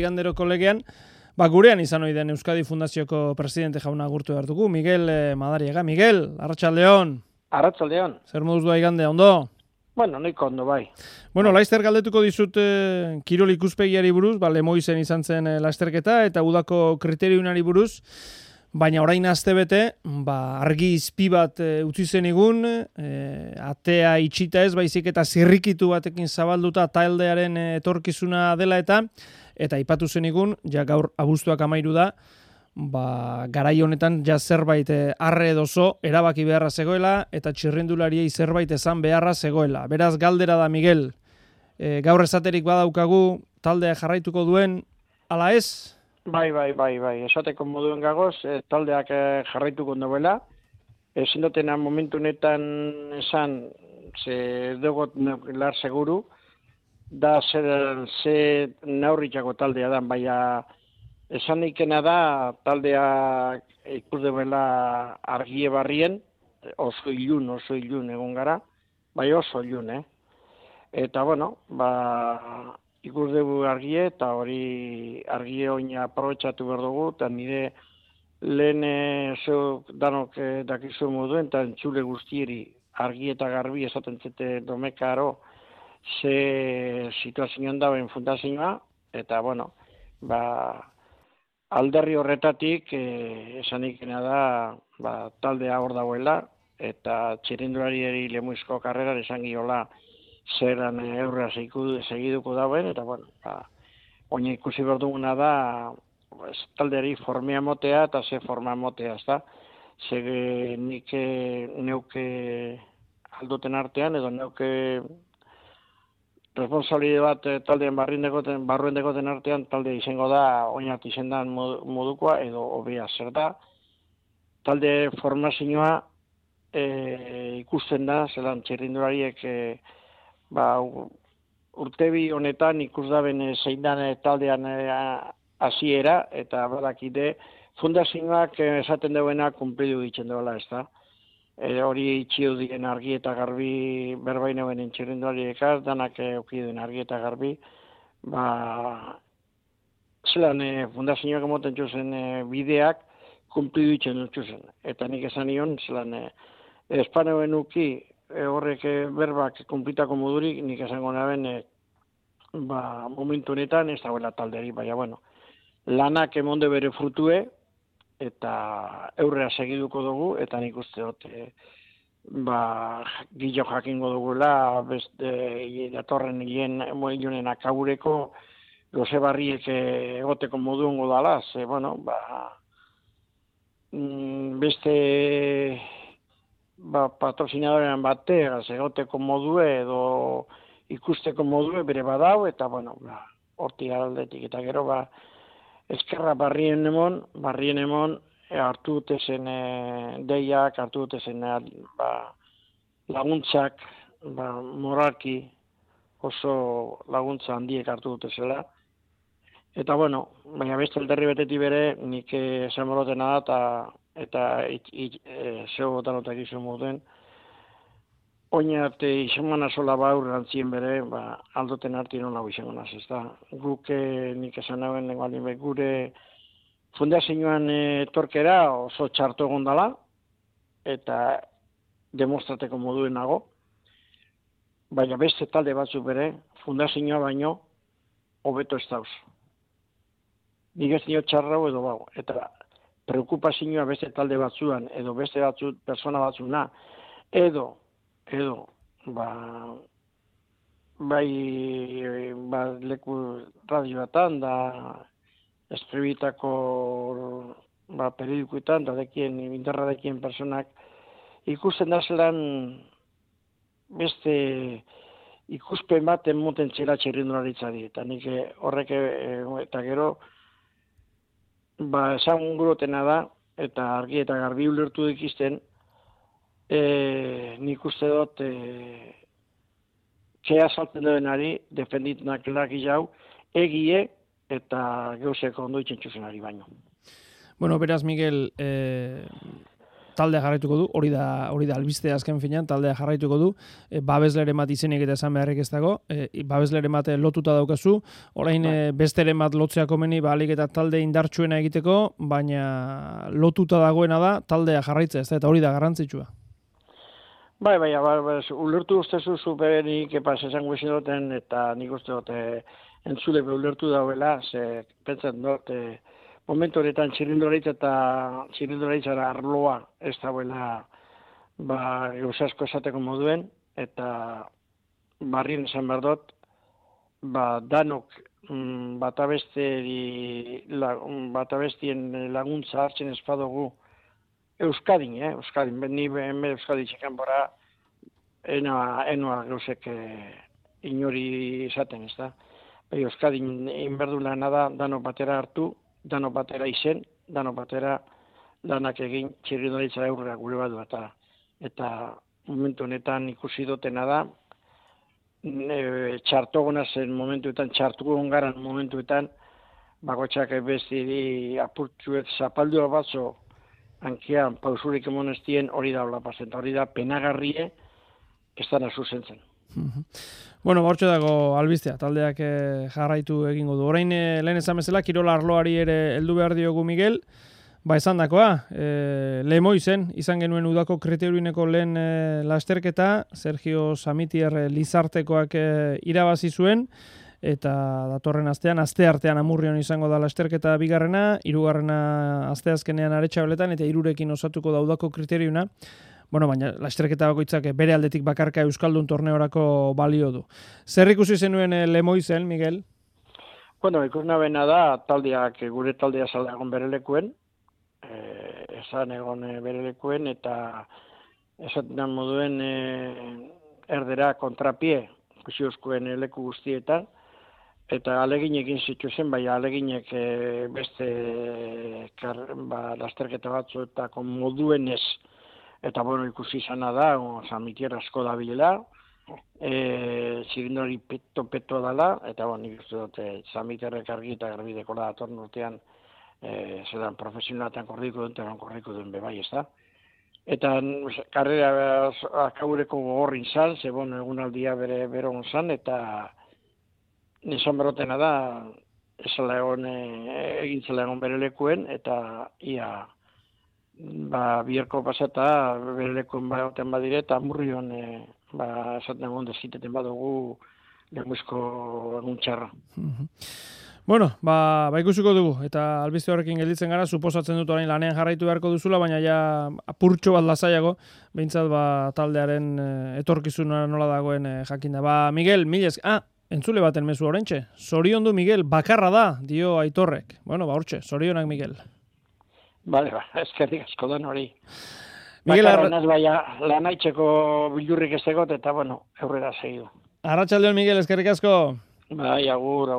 Igandero kolegean, gurean izan ohi den Euskadi Fundazioko presidente jauna agurtu behar dugu, Miguel Madariaga. Miguel, arratsaldeon. Arratsaldeon. Zer moduz doa igandea, ondo? Bueno, noiko ondo bai. Bueno, Laister galdetuko dizut kirol ikuspegiari buruz, Lemoizen izan zen lasterketa eta udako kriteriunari buruz, baina orain astebete, argi izpi bat utzi zenigun, atea itxita ez, baizik eta zirrikitu batekin zabalduta taldearen etorkizuna dela eta aipatu zenigun, ja gaur abuztuak 13 da, garai honetan ja zerbait arre edozo erabaki beharra zegoela eta txirrindulariei zerbait esan beharra zegoela. Beraz galdera da, Miguel, gaur esaterik badaukagu taldea jarraituko duen ala ez? Bai, esateko moduen gagoz, taldeak jarraituko duela. Ezin dutena momentu honetan esan, ze dugot lar seguru, da ze naurritxako taldea da, baina esan ikena da taldea ikus duela argie barrien, oso ilun egon gara, bai oso ilun, Eta, bueno, ikus dugu argie, eta hori argie oina aprobetxatu behar dugu, eta nire lehen danok dakizu moduen, eta entzule guztieri argie eta garbi esaten zete domekaro ze situazioan dauen fundazioa, eta, bueno, alderri horretatik esan ikena da taldea hor dagoela, eta txirindulariari Lemoizko karreran esan giola zeran eurra segiduko dauen, eta, bueno, oina ikusi behar duguna da taldeari formea motea eta ze forma motea, ezta? Ze nik neuke alduten artean, edo neuke responsabilide bat taldean barruen dekoten artean, talde izango da oinat izendan modukoa, edo hobea zer da. Talde formazioa ikusten da, zelan txirrindulariek urtebi honetan ikus daben zein dan taldean hasiera, eta badakide fundazioak esaten duena kumplidu ditzen duela, ez da. Hori itxio diren argi eta garbi berbainoen txirrindulariekaz, danak eukiduen argi eta garbi, zelan fundazioak emoten txuzen bideak kumplidu ditzen txuzen. Eta nik esan nion, zelan espanoen uki horrek berbak kumplitako modurik, nik esango naben momentu honetan ez dagoela talderi, baina, bueno, lanak emonde bere frutue, eta eurrea segiduko dugu, eta nik uste dut, gillo jakingo dugula, beste datorren ilunen akabureko, goze barriek egoteko moduengo dala, ze, bueno, beste patrocinadorean bateaz egoteko modue, edo ikusteko modue bere badau, eta, bueno, hortik aldetik, eta gero, eskerra barrien emon, hartu dute zen deiak, hartu dute zen laguntzak, moralki oso laguntza handiek hartu dute zela. Eta, bueno, baina beste alderri betetik bere, nik esan morotena da, eta zeo botanotak izan moduen, oinat izan sola baur gantzien bere, aldoten arti nola izango naz, ez da. Guk nik esan nagoen gure fundazioan etorkera oso txarto egon dela, eta demostrateko moduen nago, baina beste talde batzuk bere, fundazioa baino, hobeto ez dauz. Nik ez dio txarrau edo bau, eta preokupazioa beste talde batzuan, edo beste persona batzuna, edo, leku radioetan, da eskribitako periodikoetan, da interra dekien personak, ikusten da zelan beste ikuspen bat emoten txela txirrindularitzari, eta nik horrek eta gero, esan gurotena da, eta argi eta garbi ulertu dikizten, nik uste dut kea salten duenari defenditunak laki jau, egie eta geuzeko ondo itxentxuzenari baino. Bueno, beraz, Miguel, taldea jarraituko du, hori da albistea azken finean, taldea jarraituko du, babesleren bat izenik eta esan beharrik ez dago, babesleren bat lotuta daukazu, orain besteren bat lotzea komeni, alik eta talde indartsuena egiteko, baina lotuta dagoena da, taldea jarraitzea, ez da, eta hori da garrantzitsua. Bai, ulertu ustezu superenik epaz esango izin duten, eta nik uste dut entzule ulertu dauela, ze pentsen dut, momentu horretan txirrindularitza arloa ez dauela gauzasko esateko moduen, eta barrien esan behar dut, danok batabestien laguntza hartzen espadugu Euskadin, ni hemen Euskadi txekan bora, enoa gauzek inori izaten, ez da. Euskadin inberdula da, dano batera hartu, dano batera izen, dano batera lanak egin txirrindularitza aurrera gure badu, eta momentu honetan ikusi dutena da, txartogona zen momentuetan, txartuko garan momentuetan, bakotxak bestiri apurtzuet zapaldua batzo, hankean pausurik emonestien hori da hola pasen, hori da penagarrie ez dana zuzentzen. Bueno, hortxe dago albistea, taldeak jarraitu egingo du. Orain lehen esan bezala, kirola arloari ere heldu behar diogu Miguel, esan dakoa, Lemoizen, izan genuen udako kriteriuneko lehen lasterketa, Sergio Samitier Lizartekoak irabazi zuen, eta datorren asteartean Amurrion izango da lasterketa bigarrena, hirugarrena asteazkenean Aretxabeletan, eta hirurekin osatuko da udako kriteriuna. Bueno, baina lasterketa bakoitzak bere aldetik bakarka Euskaldun torneorako balio du. Zer ikusi zenuen Lemoizen, Miguel? Bueno, ikusnabena da, gure taldea zala egon berelekuen, esan egon berelekuen, eta esaten moduen erdera kontrapie, ikusi euskuen leku guztietan, eta aleginekin zituzen, bai aleginek beste lasterketa batzuetako moduenez, eta bueno, ikusi izana da, Samitier asko da bilela, txirindori peto dala, eta bueno, nik uste dut Samitierrek argi eta garbideko da datorn urtean, zelan profesionalatan korriko duen bebai, ez da. Eta karrera akaureko gogorrin zan, ze bueno, egunaldia bero zan, eta nizan berotena da, egin zela egon bere lekuen, eta ia bierko pasata bere lekuen baioten badire, eta Amurrion esaten egon deziteten badugu lehenguizko egun txarra. Bueno, ikusiko dugu, eta albiste horrekin gelditzen gara, suposatzen dut orain lanean jarraitu beharko duzula, baina ja apurtxo bat lasaiago, behintzat taldearen etorkizuna nola dagoen jakinda. Miguel, entzule baten mezu horrentxe, zoriondu Miguel, bakarra da, dio Aitorrek. Bueno, hortxe, zorionak Miguel. Bale, eskerrik asko dan hori. Bakarra naz baina lanaitzeko bildurrik ez egot, eta bueno, aurrera segidu. Arratsaldeon Miguel, eskerrik asko. Bai, agur.